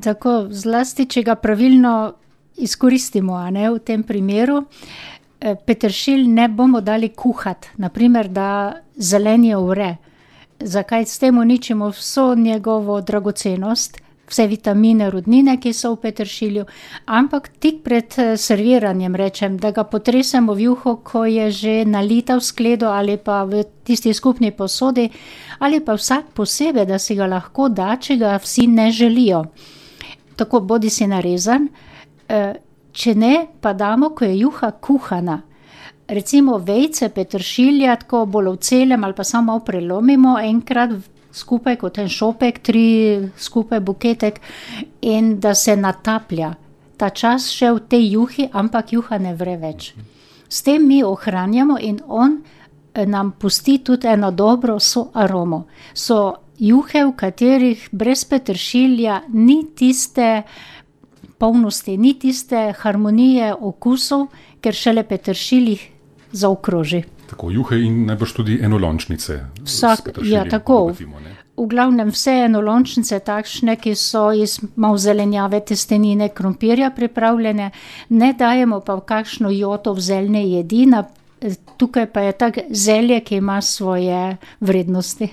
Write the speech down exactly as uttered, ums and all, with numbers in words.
Tako, zlasti, če ga pravilno izkoristimo, a ne, v tem primeru. Peteršilj ne bomo dali kuhati, na primer, da zelenje vre. Zakaj? S tem uničimo vso njegovo dragocenost, vse vitamine, rudnine, ki so v peteršilju, ampak tik pred serviranjem, rečem, da ga potresemo v juho, ko je že nalita v skledo ali pa v tisti skupni posodi, ali pa vsak posebej, da si ga lahko da, če ga vsi ne želijo. Tako bodi si narezan, če ne, pa damo, ko je juha kuhana. Recimo vejce peteršilja, tako bolj v celem ali pa samo prelomimo enkrat skupaj kot en šopek, tri skupaj buketek in da se nataplja. Ta čas še v tej juhi, ampak juha ne vre več. S tem mi ohranjamo in on nam pusti tudi eno dobro soaromo. So juhe, v katerih brez peteršilja ni tiste polnosti, ni tiste harmonije okusov, ker šele peteršilj jih zaokroži. Tako, juhe in najbrž tudi enolončnice. Vsak, ja, tako. Bogatimo, v glavnem vse enolončnice takšne, ki so iz malo zelenjave, testenine, krompirja pripravljene, ne dajemo pa v kakšno joto v zeljne jedi, tukaj pa je tak zelje, ki ima svoje vrednosti.